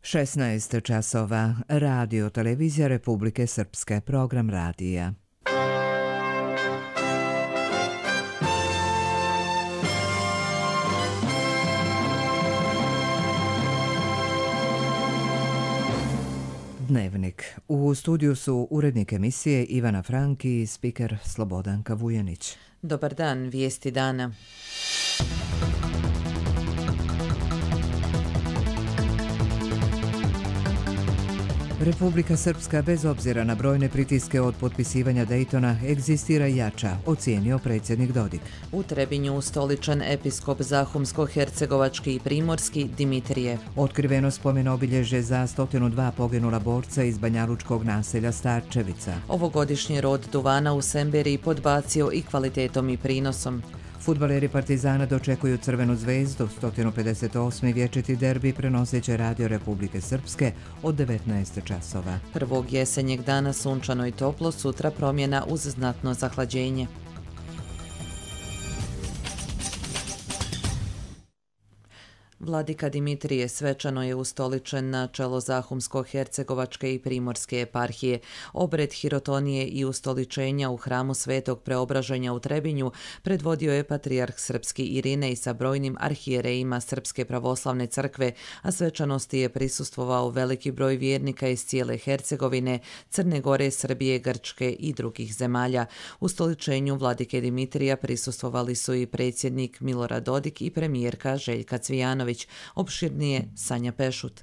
16 časova. Radio Televizija Republike Srpske. Program radija. Dnevnik. U studiju su urednik emisije Ivana Frank i spiker Slobodanka Vujanić. Dobar dan, vijesti dana. Republika Srpska, bez obzira na brojne pritiske od potpisivanja Dejtona, egzistira jača, ocijenio predsjednik Dodik. U Trebinju ustoličen episkop Zahumsko-hercegovački i primorski Dimitrije. Otkriveno spomen obilježje za 102 poginula borca iz banjalučkog naselja Starčevica. Ovogodišnji rod duvana u Semberiji podbacio i kvalitetom i prinosom. Fudbaleri Partizana dočekuju Crvenu zvezdu, 158. vječiti derbi prenoseće Radio Republike Srpske od 19 časova. Prvog jesenjeg dana sunčano i toplo, sutra promjena uz znatno zahlađenje. Vladika Dimitrije svečano je ustoličen na čelo Zahumsko-hercegovačke i primorske eparhije. Obred hirotonije i ustoličenja u hramu Svetog Preobraženja u Trebinju predvodio je patrijarh srpski Irinej sa brojnim arhijerejima Srpske pravoslavne crkve, a svečanosti je prisustvovao veliki broj vjernika iz cijele Hercegovine, Crne Gore, Srbije, Grčke i drugih zemalja. Ustoličenju vladike Dimitrija prisustvovali su i predsjednik Milorad Dodik i premijerka Željka Cvijanović. Opširnije Sanja Pešut.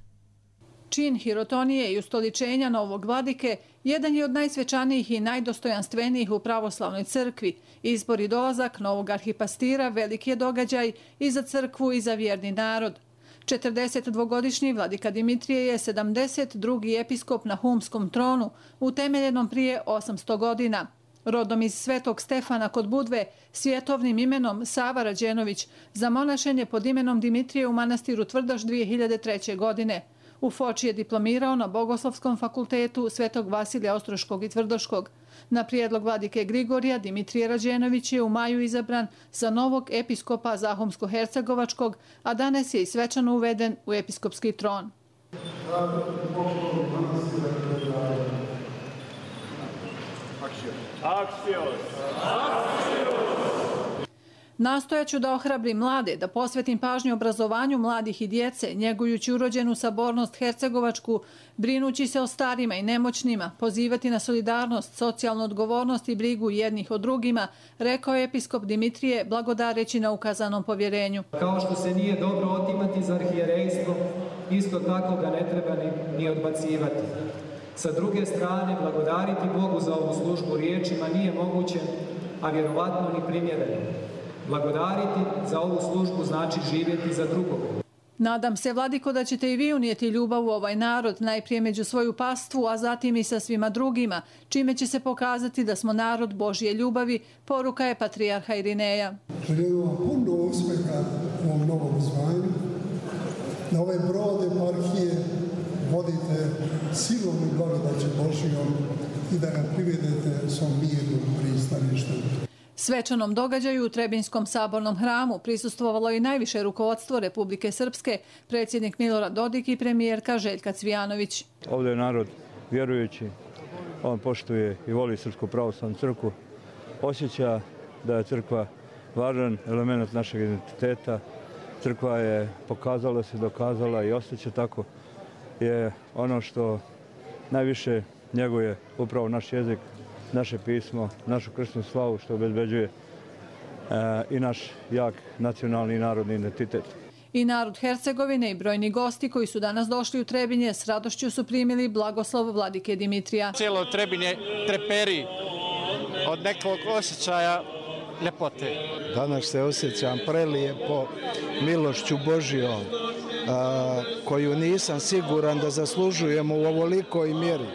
Čin hirotonije i ustoličenja novog vladike jedan je od najsvečanijih i najdostojanstvenijih u pravoslavnoj crkvi. Izbor i dolazak novog arhipastira veliki je događaj i za crkvu i za vjerni narod. 42-godišnji vladika Dimitrije je 72. episkop na humskom tronu, utemeljenom prije 800 godina. Rodom iz Svetog Stefana kod Budve, svjetovnim imenom Sava Rađenović, zamonašen je pod imenom Dimitrije u manastiru Tvrdaš 2003. godine. U Foči je diplomirao na Bogoslovskom fakultetu Svetog Vasilija Ostroškog i Tvrdoškog. Na prijedlog vladike Grigorija, Dimitrije Rađenović je u maju izabran za novog episkopa Zahumsko-hercegovačkog, a danas je i svečano uveden u episkopski tron. Nastojaću da ohrabrim mlade, da posvetim pažnju obrazovanju mladih i djece, njegujući urođenu sabornost hercegovačku, brinući se o starima i nemoćnima, pozivati na solidarnost, socijalnu odgovornost i brigu jednih o drugima, rekao je episkop Dimitrije, blagodareći na ukazanom povjerenju. Kao što se nije dobro otimati za arhijerejstvo, isto tako ga ne treba ni odbacivati. Sa druge strane, blagodariti Bogu za ovu službu riječima nije moguće, a vjerovatno ni primjereno. Blagodariti za ovu službu znači živjeti za drugog. Nadam se, vladiko, da ćete i vi unijeti ljubav u ovaj narod, najprije među svoju pastvu, a zatim i sa svima drugima, čime će se pokazati da smo narod Božje ljubavi, poruka je patrijarha Irineja. Želim vam puno uspjeha u ovom novom zvanju, na ovaj brod eparhije vodite silom i blagodaćem Božjom i da ga privedete svom mirnom pristaništu. Svečanom događaju u Trebinskom sabornom hramu prisustvovalo i najviše rukovodstvo Republike Srpske, predsjednik Milorad Dodik i premijerka Željka Cvijanović. Ovdje je narod vjerujući, on poštuje i voli Srpsku pravoslavnu crkvu, osjeća da je crkva važan element našeg identiteta. Crkva je pokazala se, dokazala i ostaće tako, je ono što najviše njeguje upravo naš jezik, naše pismo, našu kršnu slavu što obezbeđuje i naš jak nacionalni i narodni identitet. I narod Hercegovine i brojni gosti koji su danas došli u Trebinje s radošću su primili blagoslov vladike Dimitrija. Cijelo Trebinje treperi od nekog osjećaja ljepote. Danas se osjećam prelijepo milošću Božjom, koju nisam siguran da zaslužujemo u ovolikoj mjeri.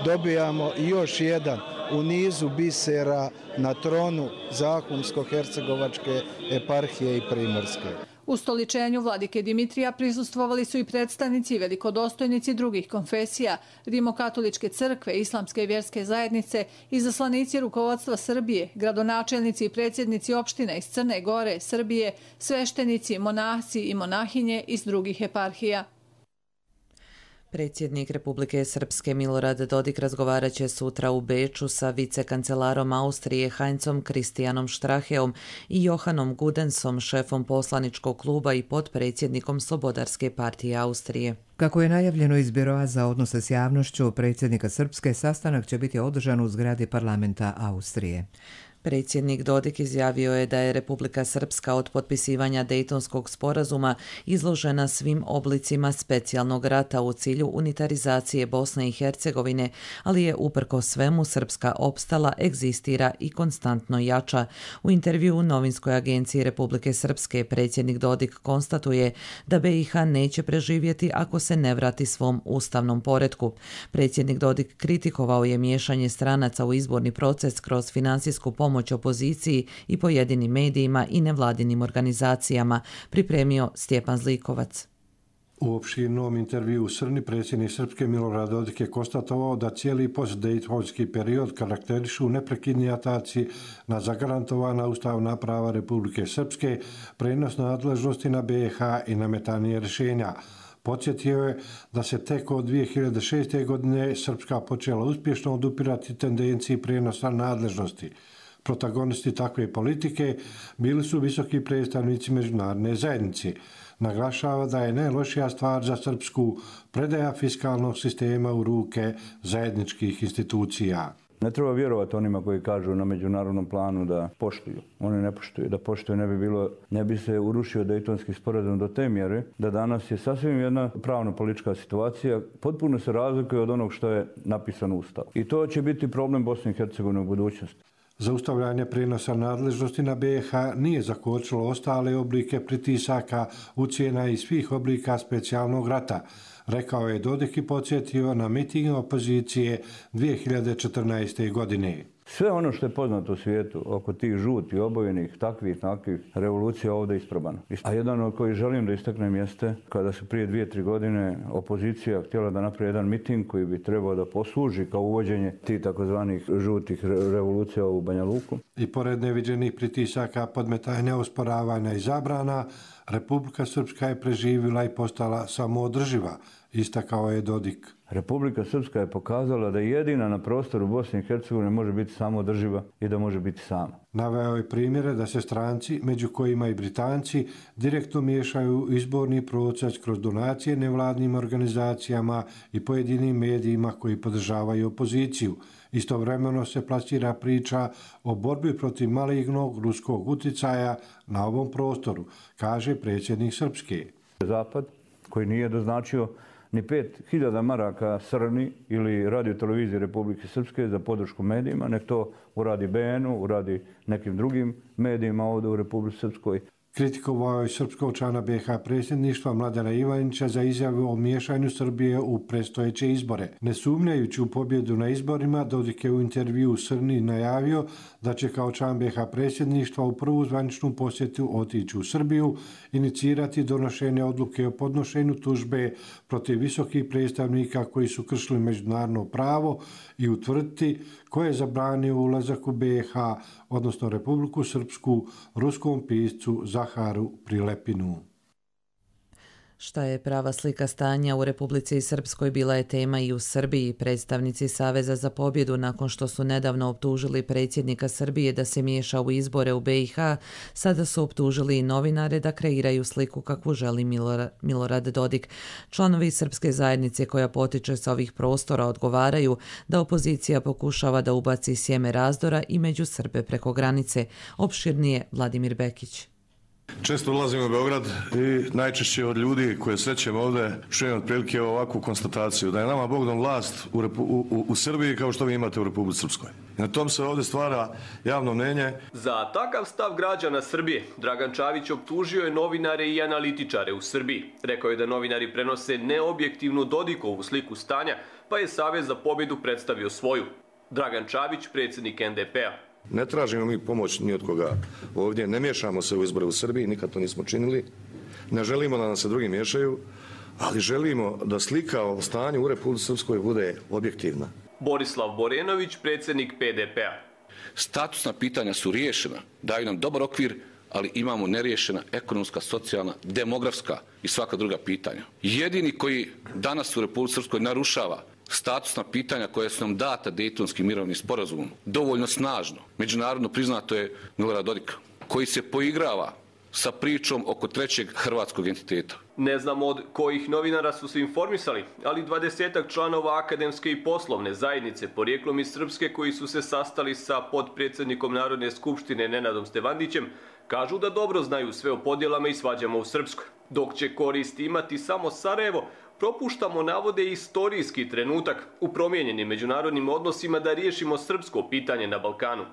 Dobijamo još jedan u nizu bisera na tronu Zahumsko-hercegovačke eparhije i primorske. U stoličenju vladike Dimitrija prisustvovali su i predstavnici i velikodostojnici drugih konfesija, Rimokatoličke crkve, Islamske vjerske zajednice, izaslanici rukovodstva Srbije, gradonačelnici i predsjednici opština iz Crne Gore, Srbije, sveštenici, monahci i monahinje iz drugih eparhija. Predsjednik Republike Srpske Milorad Dodik razgovarat će sutra u Beču sa vicekancelarom Austrije Heinzom Christianom Stracheom i Johanom Gudensom, šefom poslaničkog kluba i potpredsjednikom Slobodarske partije Austrije. Kako je najavljeno iz Biroa za odnose s javnošću predsjednika Srpske, sastanak će biti održan u zgradi parlamenta Austrije. Predsjednik Dodik izjavio je da je Republika Srpska od potpisivanja Dejtonskog sporazuma izložena svim oblicima specijalnog rata u cilju unitarizacije Bosne i Hercegovine, ali je uprkos svemu Srpska opstala, egzistira i konstantno jača. U intervju u novinskoj agenciji Republike Srpske predsjednik Dodik konstatuje da BiH neće preživjeti ako se ne vrati svom ustavnom poretku. Predsjednik Dodik kritikovao je miješanje stranaca u izborni proces kroz finansijsku pomoć opoziciji i pojedinim medijima i nevladinim organizacijama, pripremio Stjepan Zlikovac. U opširnom intervju u Srni predsjednik Srpske Milorad Dodik je konstatovao da cijeli postdejtonski period karakterišu neprekidni ataci na zagarantovana ustavna prava Republike Srpske, prenos nadležnosti na BiH i nametanje rješenja. Podsjetio je da se tek od 2006. godine Srpska počela uspješno odupirati tendenciji prenosa nadležnosti. Protagonisti takve politike bili su visoki predstavnici međunarodne zajednice. Naglašava da je najlošija stvar za Srpsku predaja fiskalnog sistema u ruke zajedničkih institucija. Ne treba vjerovati onima koji kažu na međunarodnom planu da poštuju. Oni ne poštuju. Da poštuju ne bi se urušio Dejtonski sporazum do te mjere da danas je sasvim jedna pravno-politička situacija, potpuno se razlikuje od onog što je napisano u Ustavu. I to će biti problem Bosne i Hercegovine u budućnosti. Zaustavljanje prenosa nadležnosti na BiH nije zakočilo ostale oblike pritisaka, ucjena i svih oblika specijalnog rata, rekao je Dodik i podsjetio na miting opozicije 2014. godine. Sve ono što je poznato u svijetu oko tih žutih, obojenih, takvih revolucija ovdje isprobano. A jedan od kojih želim da istaknem jeste kada su prije 2-3 godine opozicija htjela da napravi jedan miting koji bi trebao da posluži kao uvođenje tih takozvanih žutih revolucija u Banja Luku. I pored neviđenih pritisaka, podmetanja, osporavanja i zabrana, Republika Srpska je preživjela i postala samoodrživa, istakao je Dodik. Republika Srpska je pokazala da jedina na prostoru Bosne i Hercegovine može biti samoodrživa i da može biti sama. Naveo je primjere da se stranci, među kojima i Britanci, direktno miješaju u izborni proces kroz donacije nevladnim organizacijama i pojedinim medijima koji podržavaju opoziciju. Istovremeno se plasira priča o borbi protiv malignog ruskog uticaja na ovom prostoru, kaže predsjednik Srpske. Zapad, koji nije doznačio ni 5.000 maraka Srni ili Radio-televiziji Republike Srpske za podršku medijima, nek to uradi BN-u, uradi nekim drugim medijima ovdje u Republike Srpskoj. Kritikovao je srpskog člana BiH predsjedništva Mladena Ivanića za izjavu o miješanju Srbije u predstojeće izbore. Ne sumnjajući u pobjedu na izborima, Dodik je u intervju u Srni najavio da će kao član BiH predsjedništva u prvu zvaničnu posjetu otići u Srbiju, inicirati donošenje odluke o podnošenju tužbe protiv visokih predstavnika koji su kršili međunarodno pravo i utvrditi ko je zabranio ulazak u BiH, odnosno Republiku Srpsku, ruskom piscu Zaharu Prilepinu. Šta je prava slika stanja u Republici Srpskoj bila je tema i u Srbiji. Predstavnici Saveza za pobjedu, nakon što su nedavno optužili predsjednika Srbije da se miješa u izbore u BiH, sada su optužili i novinare da kreiraju sliku kakvu želi Milorad Dodik. Članovi srpske zajednice koja potiče sa ovih prostora odgovaraju da opozicija pokušava da ubaci sjeme razdora i među Srbe preko granice. Opširnije Vladimir Bekić. Često ulazim u Beograd i najčešće od ljudi koje srećem ovdje čujem otprilike ovakvu konstataciju da je nama Bog dao vlast u Srbiji kao što vi imate u Republici Srpskoj. I na tom se ovdje stvara javno mnenje. Za takav stav građana Srbije Dragan Čavić optužio je novinare i analitičare u Srbiji. Rekao je da novinari prenose neobjektivnu Dodikovu sliku stanja, pa je Savez za pobjedu predstavio svoju. Dragan Čavić, predsjednik NDP-a. Ne tražimo mi pomoć ni od koga ovdje, ne miješamo se u izbore u Srbiji, nikad to nismo činili. Ne želimo da nam se drugi miješaju, ali želimo da slika o stanju u Republici Srpskoj bude objektivna. Borislav Borenović, predsjednik PDP-a. Statusna pitanja su riješena, daju nam dobar okvir ali imamo neriješena ekonomska, socijalna, demografska i svaka druga pitanja. Jedini koji danas u Republici Srpskoj narušava statusna pitanja koja su nam data Dejtonskim mirovnim sporazumom, dovoljno snažno, međunarodno priznato je Milorad Dodik, koji se poigrava sa pričom oko trećeg hrvatskog entiteta. Ne znamo od kojih novinara su se informisali, ali 20-ak članova akademske i poslovne zajednice porijeklom iz Srpske koji su se sastali sa potpredsjednikom Narodne skupštine Nenadom Stevandićem kažu da dobro znaju sve o podjelama i svađama u Srpskoj. Dok će koristi imati samo Sarajevo, propuštamo, navode, istorijski trenutak u promijenjenim međunarodnim odnosima da riješimo srpsko pitanje na Balkanu.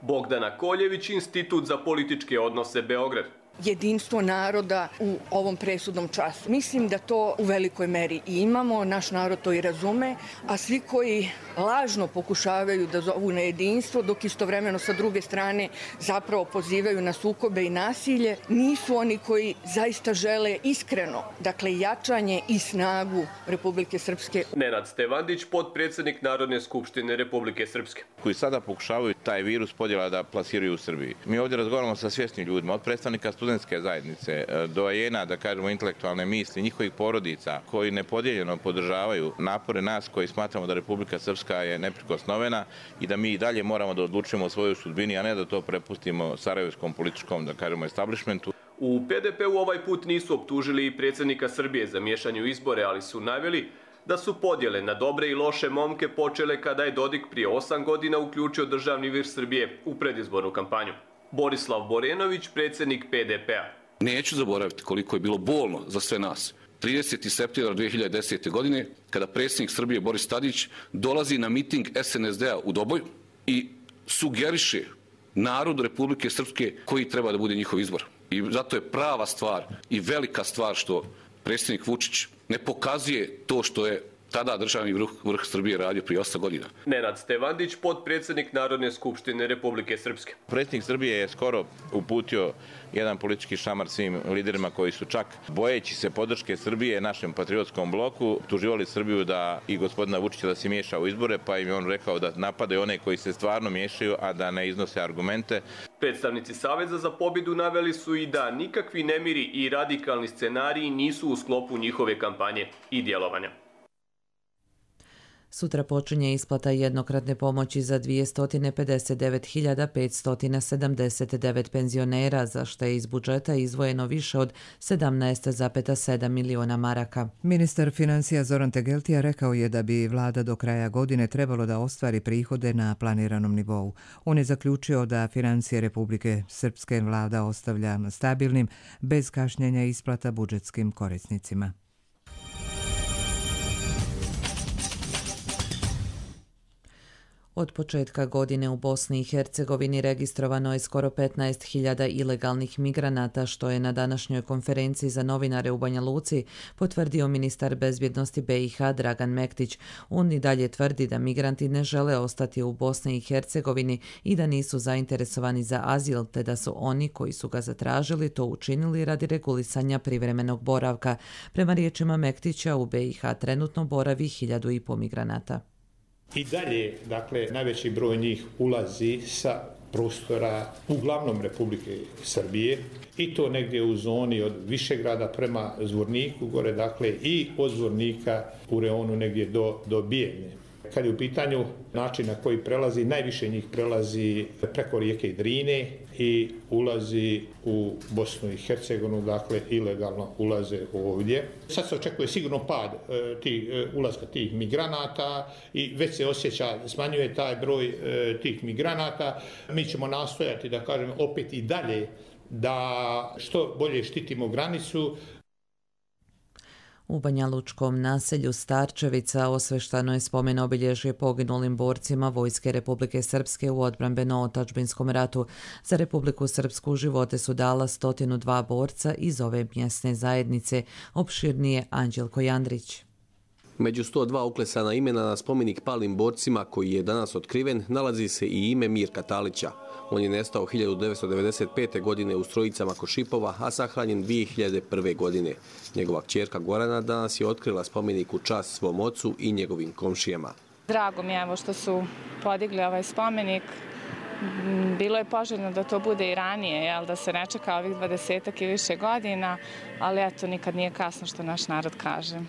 Bogdana Koljević, Institut za političke odnose, Beograd. Jedinstvo naroda u ovom presudnom času. Mislim da to u velikoj meri i imamo, naš narod to i razume, a svi koji lažno pokušavaju da zovu na jedinstvo, dok istovremeno sa druge strane zapravo pozivaju na sukobe i nasilje, nisu oni koji zaista žele iskreno, dakle, jačanje i snagu Republike Srpske. Nenad Stevandić, potpredsjednik Narodne skupštine Republike Srpske. Koji sada pokušavaju taj virus podjela da plasiraju u Srbiji. Mi ovdje razgovaramo sa svjesnim ljudima, od predstavnika studentske zajednice, doajena, da kažemo, intelektualne misli, njihovih porodica koji nepodijeljeno podržavaju napore nas koji smatramo da Republika Srpska je neprikosnovena i da mi i dalje moramo da odlučujemo o svojoj sudbini, a ne da to prepustimo sarajevskom političkom, da kažemo, establishmentu. U PDP-u ovaj put nisu optužili i predsjednika Srbije za miješanje u izbore, ali su naveli da su podjele na dobre i loše momke počele kada je Dodik prije 8 godina uključio Državni vir Srbije u predizbornu kampanju. Borislav Borenović, predsjednik PDP-a. Neću zaboraviti koliko je bilo bolno za sve nas. 30. septembra 2010. godine, kada predsjednik Srbije Boris Tadić dolazi na miting SNSD-a u Doboju i sugeriše narodu Republike Srpske koji treba da bude njihov izbor. I zato je prava stvar i velika stvar što predsjednik Vučić ne pokazuje to što je tada državni vrh Srbije radio prije 8 godina. Nenad Stevandić, potpredsjednik Narodne skupštine Republike Srpske. Predsjednik Srbije je skoro uputio jedan politički šamar svim liderima koji su čak, bojeći se podrške Srbije našem patriotskom bloku, tuživali Srbiju da i gospodina Vučića da se miješa u izbore, pa im je on rekao da napadaju one koji se stvarno miješaju, a da ne iznose argumente. Predstavnici Saveza za pobjedu naveli su i da nikakvi nemiri i radikalni scenariji nisu u sklopu njihove kampanje i djelovanja. Sutra počinje isplata jednokratne pomoći za 259.579 penzionera, za što je iz budžeta izdvojeno više od 17,7 miliona maraka. Ministar financija Zoran Tegeltija rekao je da bi vlada do kraja godine trebalo da ostvari prihode na planiranom nivou. On je zaključio da financije Republike Srpske vlada ostavlja stabilnim, bez kašnjenja isplata budžetskim korisnicima. Od početka godine u Bosni i Hercegovini registrovano je skoro 15.000 ilegalnih migranata, što je na današnjoj konferenciji za novinare u Banja Luci potvrdio ministar bezbjednosti BiH Dragan Mektić. On i dalje tvrdi da migranti ne žele ostati u Bosni i Hercegovini i da nisu zainteresovani za azil, te da su oni koji su ga zatražili to učinili radi regulisanja privremenog boravka. Prema riječima Mektića, u BiH trenutno boravi 1.500 migranata. I dalje, dakle, najveći broj njih ulazi sa prostora uglavnom Republike Srbije i to negdje u zoni od Višegrada prema Zvorniku gore, dakle, i od Zvornika u reonu negdje do Bijene. Kad je u pitanju način na koji prelazi, najviše njih prelazi preko rijeke Drine i ulazi u Bosnu i Hercegovinu, dakle ilegalno ulaze ovdje. Sad se očekuje sigurno pad ulaska tih migranata i već se osjeća, smanjuje taj broj tih migranata. Mi ćemo nastojati, da kažem, opet i dalje da što bolje štitimo granicu. U banjalučkom naselju Starčevica osveštano je spomen obilježje poginulim borcima Vojske Republike Srpske u odbrambeno-otadžbinskom ratu. Za Republiku Srpsku živote su dala 102 borca iz ove mjesne zajednice. Opširnije Anđelko Jandrić. Među 102 uklesana imena na spomenik palim borcima koji je danas otkriven nalazi se i ime Mirka Talića. On je nestao 1995. godine u Strojicama kod Šipova, a sahranjen 2001. godine. Njegova kćerka Gorana danas je otkrila spomenik u čast svom ocu i njegovim komšijama. Drago mi je što su podigli ovaj spomenik. Bilo je poželjno da to bude i ranije, da se ne čeka ovih 20 i više godina, ali eto, nikad nije kasno što naš narod kaže.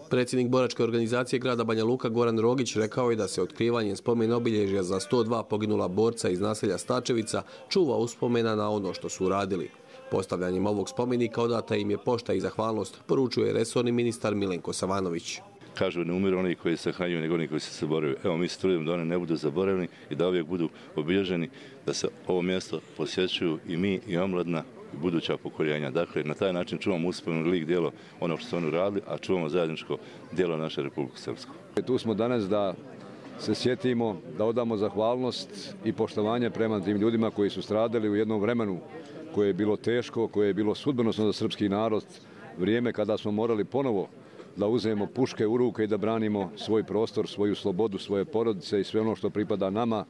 Predsjednik boračke organizacije grada Banja Luka Goran Rogić rekao je da se otkrivanjem spomen obilježja za 102 poginula borca iz naselja Stačevica čuva uspomena na ono što su uradili. Postavljanjem ovog spomenika odata im je pošta i zahvalnost, poručuje resorni ministar Milenko Savanović. Kažu ne umiru oni koji se sahranjuju, nego oni koji se zaboravljaju. Evo, mi se trudimo da oni ne budu zaboravljeni i da uvijek budu obilježeni, da se ovo mjesto posjećuju i mi i omladna i buduća pokoljenja. Dakle, na taj način čuvamo uspomenu lik djelo ono što su oni radili, a čuvamo zajedničko djelo naše Republike Srpske. Tu smo danas da se sjetimo, da odamo zahvalnost i poštovanje prema tim ljudima koji su stradali u jednom vremenu koje je bilo teško, koje je bilo sudbonosno za srpski narod, vrijeme kada smo morali ponovo da uzmemo puške u ruke i da branimo svoj prostor, svoju slobodu, svoje porodice i sve ono što pripada nama.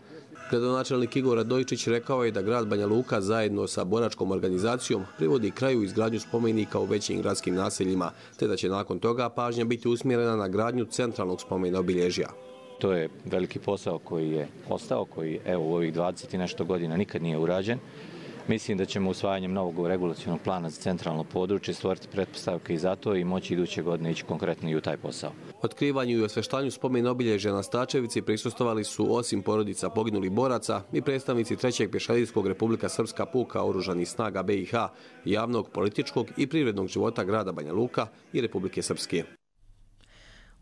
Gradonačelnik Igor Radojičić rekao je da grad Banja Luka zajedno sa boračkom organizacijom privodi kraju izgradnju spomenika u većim gradskim naseljima, te da će nakon toga pažnja biti usmjerena na gradnju centralnog spomena obilježja. To je veliki posao koji je ostao, koji evo u ovih 20 i nešto godina nikad nije urađen. Mislim da ćemo usvajanjem novog regulacionog plana za centralno područje stvoriti pretpostavke i za to i moći iduće godine ići konkretno i u taj posao. Otkrivanju i osveštanju spomen obilježja na Stačevici prisustvovali su osim porodica poginulih boraca i predstavnici 3. pješadijskog Republika Srpska puka oružanih snaga BiH, javnog, političkog i privrednog života grada Banja Luka i Republike Srpske.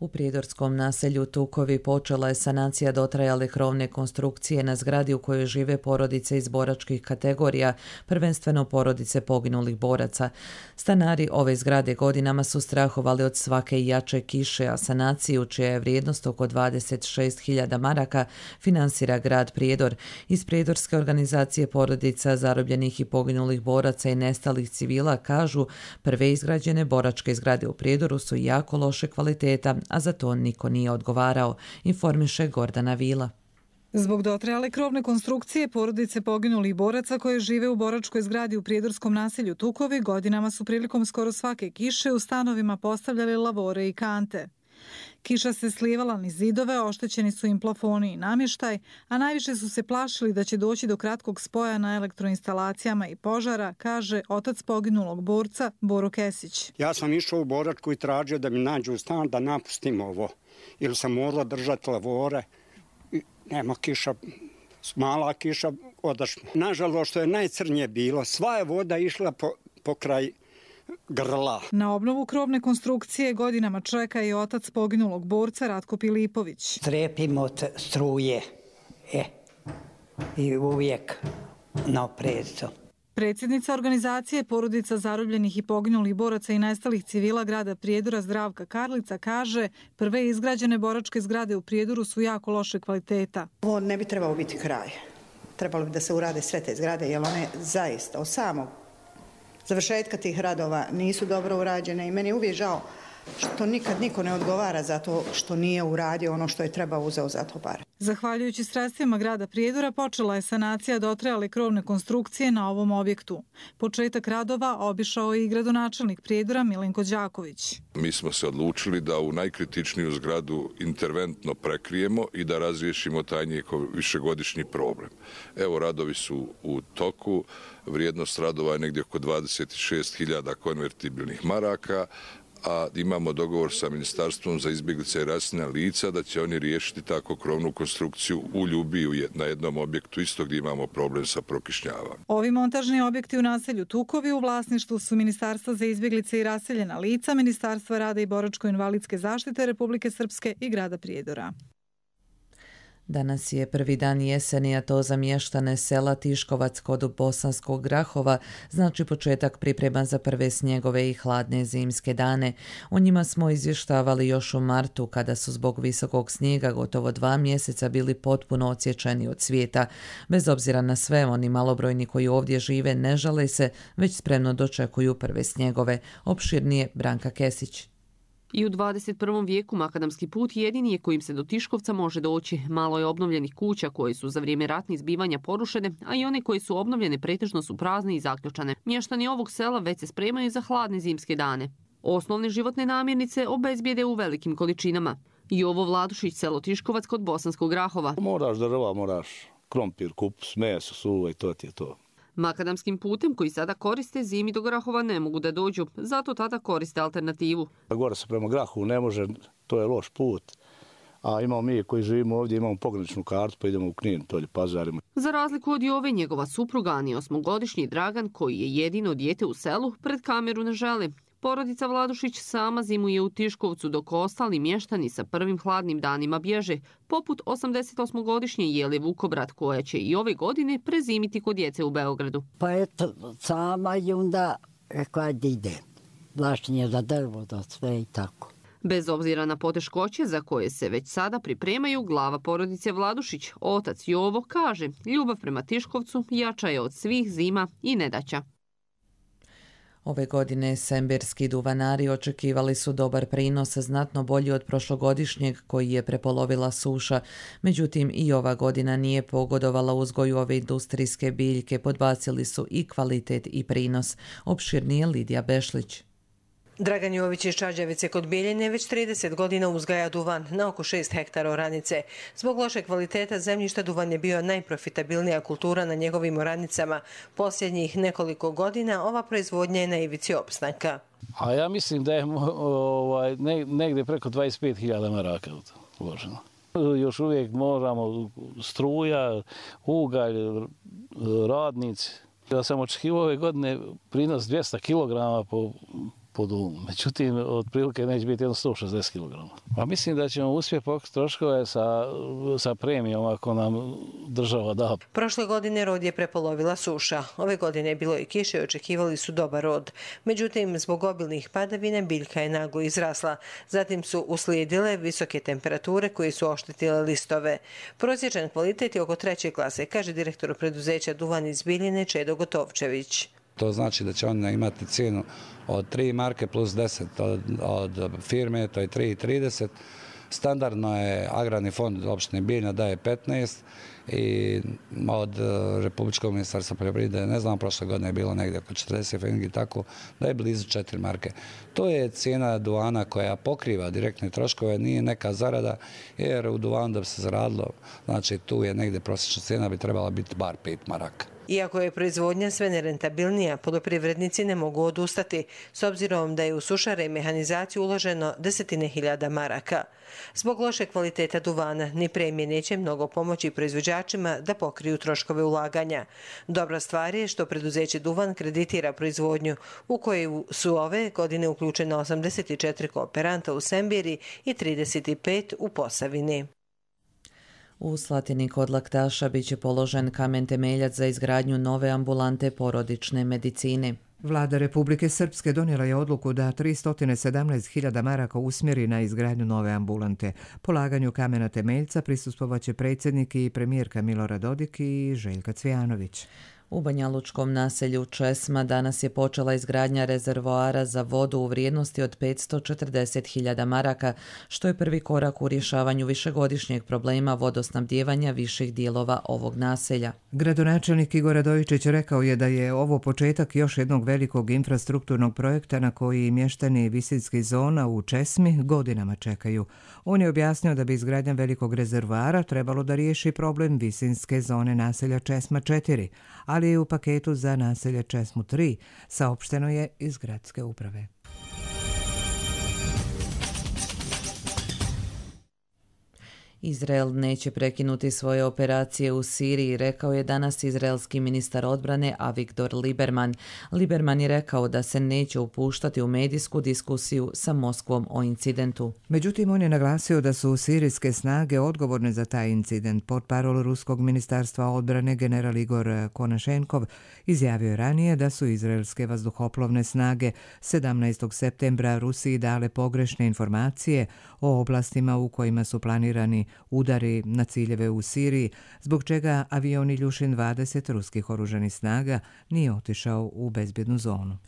U prijedorskom naselju Tukovi počela je sanacija dotrajale krovne konstrukcije na zgradi u kojoj žive porodice iz boračkih kategorija, prvenstveno porodice poginulih boraca. Stanari ove zgrade godinama su strahovali od svake jače kiše, a sanaciju, čija je vrijednost oko 26.000 maraka, finansira grad Prijedor. Iz prijedorske organizacije porodica zarobljenih i poginulih boraca i nestalih civila kažu prve izgrađene boračke zgrade u Prijedoru su jako loše kvaliteta, a za to niko nije odgovarao, informiše Gordana Vila. Zbog dotrajale krovne konstrukcije, porodice poginulih boraca koje žive u boračkoj zgradi u prijedorskom naselju Tukovi godinama su prilikom skoro svake kiše u stanovima postavljali lavore i kante. Kiša se slijevala niz zidove, oštećeni su im plafoni i namještaj, a najviše su se plašili da će doći do kratkog spoja na elektroinstalacijama i požara, kaže otac poginulog borca Boro Kesić. Ja sam išao u boračku i tražio da mi nađu stan da napustim ovo, jer sam morala držati lavore. Nema kiša, mala kiša, odašla. Nažalost, što je najcrnije bilo, sva je voda išla po kraj grla. Na obnovu krovne konstrukcije godinama čeka i otac poginulog borca Ratko Pilipović. Strepim od struje i uvijek na oprezu. Predsjednica organizacije porodica zarobljenih i poginulih boraca i nestalih civila grada Prijedora Zdravka Karlica kaže prve izgrađene boračke zgrade u Prijedoru su jako loše kvaliteta. Ovo ne bi trebalo biti kraj. Trebalo bi da se urade sve te zgrade jer one zaista od samog završetka tih radova nisu dobro urađene i meni je uvijek žao što nikad niko ne odgovara za to što nije uradio ono što je trebao uzeo za to pare. Zahvaljujući sredstvima grada Prijedora počela je sanacija dotrajale krovne konstrukcije na ovom objektu. Početak radova obišao je i gradonačelnik Prijedora Milenko Đaković. Mi smo se odlučili da u najkritičniju zgradu interventno prekrijemo i da razriješimo taj njihov višegodišnji problem. Evo, radovi su u toku, vrijednost radova je negdje oko 26.000 konvertibilnih maraka, a imamo dogovor sa Ministarstvom za izbjeglice i raseljena lica da će oni riješiti tako krovnu konstrukciju u Ljubiji na jednom objektu isto gdje imamo problem sa prokišnjavanjem. Ovi montažni objekti u naselju Tukovi u vlasništvu su Ministarstva za izbjeglice i raseljena lica, Ministarstva rada i boračko-invalidske zaštite Republike Srpske i grada Prijedora. Danas je prvi dan jeseni, a to za mještane sela Tiškovac kod Bosanskog Grahova znači početak priprema za prve snjegove i hladne zimske dane. O njima smo izvještavali još u martu, kada su zbog visokog snijega gotovo 2 mjeseca bili potpuno odsječeni od svijeta. Bez obzira na sve, oni malobrojni koji ovdje žive ne žale se, već spremno dočekuju prve snjegove. Opširnije Branka Kesić. I u 21. vijeku makadamski put jedini je kojim se do Tiškovca može doći. Malo je obnovljenih kuća koje su za vrijeme ratnih zbivanja porušene, a i one koje su obnovljene pretežno su prazne i zaključane. Mještani ovog sela već se spremaju za hladne zimske dane. Osnovne životne namirnice obezbijede u velikim količinama. I ovo Vladušić, selo Tiškovac kod Bosanskog Grahova. Moraš drva, moraš krompir, kupus, meso, suva i to ti je to. Makadamskim putem koji sada koriste zimi do Grahova ne mogu da dođu, zato tada koriste alternativu. Gore se prema Grahovu ne može, to je loš put. A imamo mi koji živimo ovdje, imamo pograničnu kartu pa idemo u Knin, tolje pazarimo. Za razliku od Jove, njegova supruga, ani 8-godišnji Dragan, koji je jedino dijete u selu, pred kameru ne želi. Porodica Vladušić sama zimuje u Tiškovcu, dok ostali mještani sa prvim hladnim danima bježe, poput 88-godišnje Jele Vukobrat, koja će i ove godine prezimiti kod djece u Beogradu. Pa eto, sama i onda rekla da ide. Vlašenje za drvo, da sve i tako. Bez obzira na poteškoće za koje se već sada pripremaju, glava porodice Vladušić, otac Jovo, kaže ljubav prema Tiškovcu jača je od svih zima i nedaća. Ove godine semberski duvanari očekivali su dobar prinos, znatno bolji od prošlogodišnjeg koji je prepolovila suša. Međutim, i ova godina nije pogodovala uzgoju ove industrijske biljke, podbacili su i kvalitet i prinos. Opširnije Lidija Bešlić. Dragan Jović iz Čađavice kod Bijeljine već 30 godina uzgaja duvan na oko 6 hektara oranice. Zbog loše kvaliteta zemljišta duvan je bio najprofitabilnija kultura na njegovim oranicama. Posljednjih nekoliko godina ova proizvodnja je na ivici opstanka. A ja mislim da je negdje preko 25.000 maraka uloženo. Još uvijek moramo struja, ugalj, radnici. Ja sam očekivao ove godine prinos 200 kg po dumu. Međutim, otprilike neće biti jedno 160 kg. A mislim da ćemo uspjeti pokriti troškove sa premijom ako nam država da. Prošle godine rod je prepolovila suša. Ove godine je bilo i kiše i očekivali su dobar rod. Međutim, zbog obilnih padavina biljka je naglo izrasla. Zatim su uslijedile visoke temperature koje su oštetile listove. Prosječan kvalitet je oko 3. klase, kaže direktor preduzeća Duvan iz Bijeljine Čedo Gotovčević. To znači da će oni imati cijenu od 3 marke plus 10 od firme, to je 3,30. Standardno je Agrarni fond opštine Bijeljina daje 15 i od Republičkog ministarstva poljoprivrede, ne znam, prošle godine je bilo negdje oko 40 feningi, tako da je blizu 4 marke. To je cijena duvana koja pokriva direktne troškove, nije neka zarada, jer u duvanu da bi se zaradilo, znači tu je negdje prosječna cijena bi trebala biti bar 5 maraka. Iako je proizvodnja sve nerentabilnija, poljoprivrednici ne mogu odustati, s obzirom da je u sušare i mehanizaciju uloženo 10.000 maraka. Zbog loše kvaliteta duvana, ni premije neće mnogo pomoći proizvođačima da pokriju troškove ulaganja. Dobra stvar je što preduzeće Duvan kreditira proizvodnju, u koju su ove godine uključena 84 kooperanta u Sembiri i 35 u Posavini. U Slatini kod Laktaša biće položen kamen temeljac za izgradnju nove ambulante porodične medicine. Vlada Republike Srpske donijela je odluku da 317.000 maraka usmjeri na izgradnju nove ambulante. Polaganju kamena temeljca prisustvovaće predsjednik i premijerka Milorad Dodik i Željka Cvijanović. U banjalučkom naselju Česma danas je počela izgradnja rezervoara za vodu u vrijednosti od 540.000 maraka, što je prvi korak u rješavanju višegodišnjeg problema vodosnabdijevanja viših dijelova ovog naselja. Gradonačelnik Igor Radojičić rekao je da je ovo početak još jednog velikog infrastrukturnog projekta na koji mještani visinskih zona u Česmi godinama čekaju. On je objasnio da bi izgradnja velikog rezervoara trebalo da riješi problem visinske zone naselja Česma 4, ali i u paketu za naselje Česmu 3, saopšteno je iz gradske uprave. Izrael neće prekinuti svoje operacije u Siriji, rekao je danas izraelski ministar odbrane Avigdor Lieberman. Lieberman je rekao da se neće upuštati u medijsku diskusiju sa Moskvom o incidentu. Međutim, on je naglasio da su sirijske snage odgovorne za taj incident. Portparol Ruskog ministarstva odbrane general Igor Konašenkov izjavio je ranije da su izraelske vazduhoplovne snage 17. septembra Rusiji dale pogrešne informacije o oblastima u kojima su planirani udari na ciljeve u Siriji, zbog čega avion Iljušin 20 ruskih oružanih snaga nije otišao u bezbjednu zonu.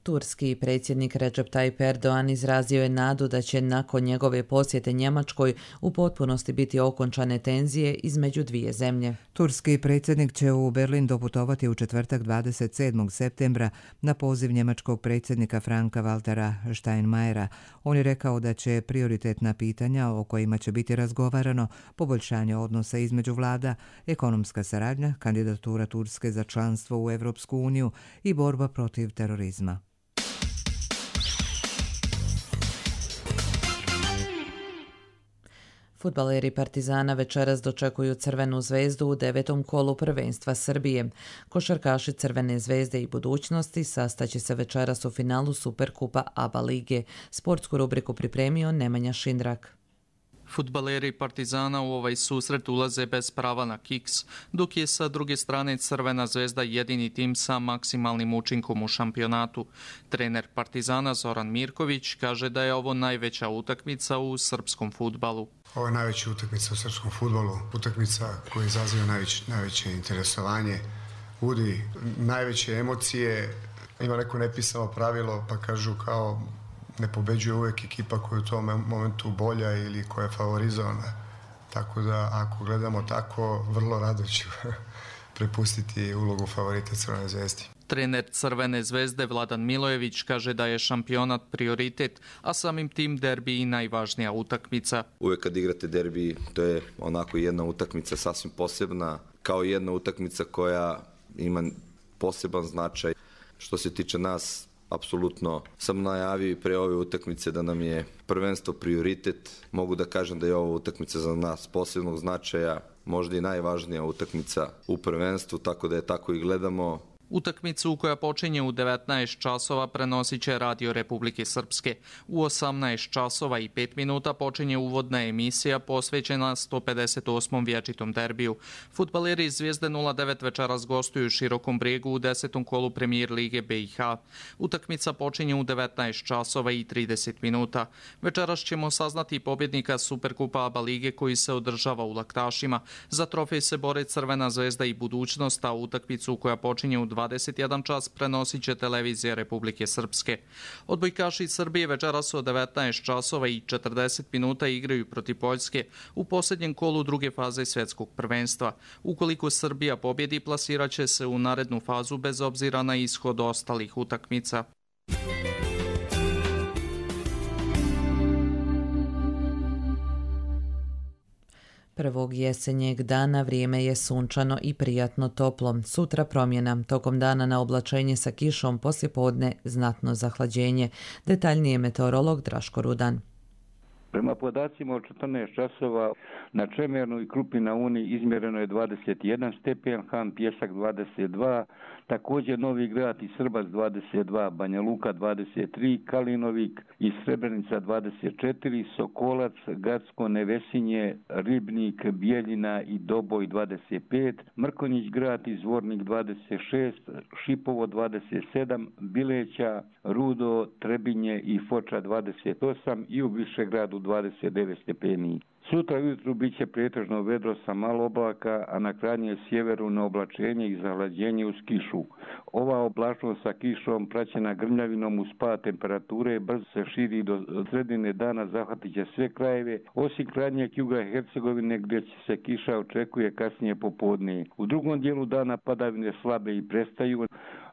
Turski predsjednik Recep Tayyip Erdogan izrazio je nadu da će nakon njegove posjete Njemačkoj u potpunosti biti okončane tenzije između dvije zemlje. Turski predsjednik će u Berlin doputovati u četvrtak 27. septembra na poziv njemačkog predsjednika Franka-Waltera Steinmeiera. On je rekao da će prioritetna pitanja o kojima će biti razgovarano poboljšanje odnosa između vlada, ekonomska saradnja, kandidatura Turske za članstvo u Europsku uniju i borba protiv terorizma. Fudbaleri Partizana večeras dočekuju Crvenu zvezdu u 9. kolu prvenstva Srbije. Košarkaši Crvene zvezde i budućnosti sastaće se večeras u finalu Superkupa ABA lige. Sportsku rubriku pripremio Nemanja Šindrak. Fudbaleri Partizana u ovaj susret ulaze bez prava na kiks, dok je sa druge strane Crvena zvezda jedini tim sa maksimalnim učinkom u šampionatu. Trener Partizana Zoran Mirković kaže da je ovo najveća utakmica u srpskom fudbalu. Ovo je najveća utakmica u srpskom fudbalu, utakmica koja izaziva najveće interesovanje, budi najveće emocije. Ima neko nepisano pravilo, pa kažu kao ne pobeđuje uvijek ekipa koja je u tom momentu bolja ili koja je favorizovana. Tako da ako gledamo tako, vrlo rado ću prepustiti ulogu favorita Crvene zvezde. Trener Crvene zvezde Vladan Milojević kaže da je šampionat prioritet, a samim tim derbi i najvažnija utakmica. Uvijek kad igrate derbi, to je onako jedna utakmica sasvim posebna, kao jedna utakmica koja ima poseban značaj. Što se tiče nas, apsolutno sam najavio i pre ove utakmice da nam je prvenstvo prioritet. Mogu da kažem da je ova utakmica za nas posebnog značaja, možda i najvažnija utakmica u prvenstvu, tako da je tako i gledamo. Utakmicu koja počinje u 19 časova prenosit će Radio Republike Srpske. U 18 časova i 5 minuta počinje uvodna emisija posvećena 158. vječitom derbiju. Fudbaleri iz Zvijezde 09 večeras gostuju u Širokom Brijegu u 10. kolu Premijer lige BiH. Utakmica počinje u 19 časova i 30 minuta. Večeras ćemo saznati pobjednika Superkupa ABA lige koji se održava u Laktašima. Za trofej se bore Crvena zvezda i budućnost, a utakmicu koja počinje u 21 čas prenosit će televizija Republike Srpske. Odbojkaši iz Srbije večeras u 19 časova i 40 minuta igraju protiv Poljske u posljednjem kolu druge faze svjetskog prvenstva. Ukoliko Srbija pobjedi, plasirat će se u narednu fazu bez obzira na ishod ostalih utakmica. Prvog jesenjeg dana vrijeme je sunčano i prijatno toplo. Sutra promjena. Tokom dana na oblačenje sa kišom, poslijepodne znatno zahlađenje. Detaljnije meteorolog Draško Rudan. Prema podacima od 14 časova na Čemernu i Krupi na Uni izmjereno je 21 stepen, Han Pjesak 22, također Novi Grad i Srbac 22, Banja Luka 23, Kalinovik i Srebrenica 24, Sokolac, Gacko, Nevesinje, Ribnik, Bijeljina i Doboj 25, Mrkonjić Grad i Zvornik 26, Šipovo 27, Bileća, Rudo, Trebinje i Foča 28 i u Višegradu 29 stepeni. Sutra ujutru bit će pretežno vedro sa malo oblaka, a na krajnjem sjeveru na oblačenje i zahlađenje uz kišu. Ova oblačnost sa kišom praćena grmljavinom uz pad temperature brzo se širi do sredine dana, zahvatit će sve krajeve, osim krajnjeg juga Hercegovine gdje se kiša očekuje kasnije popodne. U drugom dijelu dana padavine slabe i prestaju.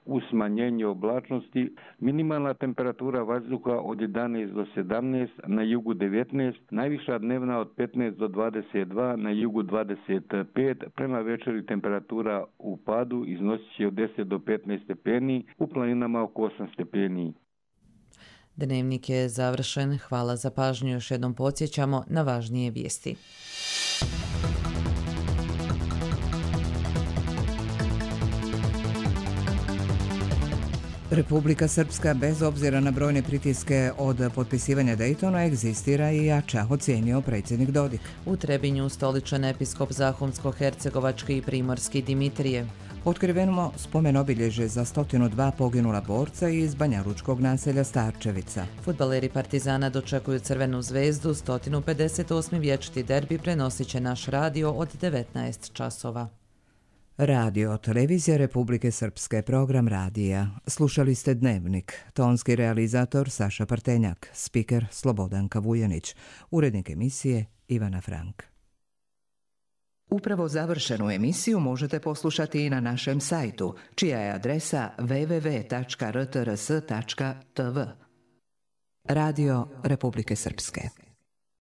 U smanjenju oblačnosti minimalna temperatura vazduha od 11 do 17, na jugu 19, najviša dnevna od 15 do 22, na jugu 25, prema večeri temperatura u padu iznosit će od 10 do 15 stepeni, u planinama oko 8 stepeni. Dnevnik je završen. Hvala za pažnju. Još jednom podsjećamo na važnije vijesti. Republika Srpska, bez obzira na brojne pritiske od potpisivanja Dejtona, egzistira i jača, ocijenio predsjednik Dodik. U Trebinju ustoličen episkop Zahumsko-hercegovački i primorski Dimitrije. Otkriveno spomen obilježje za 102 poginula borca iz banjalučkog naselja Starčevica. Fudbaleri Partizana dočekuju Crvenu zvezdu, 158. vječiti derbi prenosit će naš radio od 19 časova. Radio, televizija Republike Srpske, program radija. Slušali ste Dnevnik. Tonski realizator Saša Partenjak, spiker Slobodanka Vujanić, urednik emisije Ivana Frank. Upravo završenu emisiju možete poslušati i na našem sajtu, čija je adresa www.rtrs.tv. Radio Republike Srpske.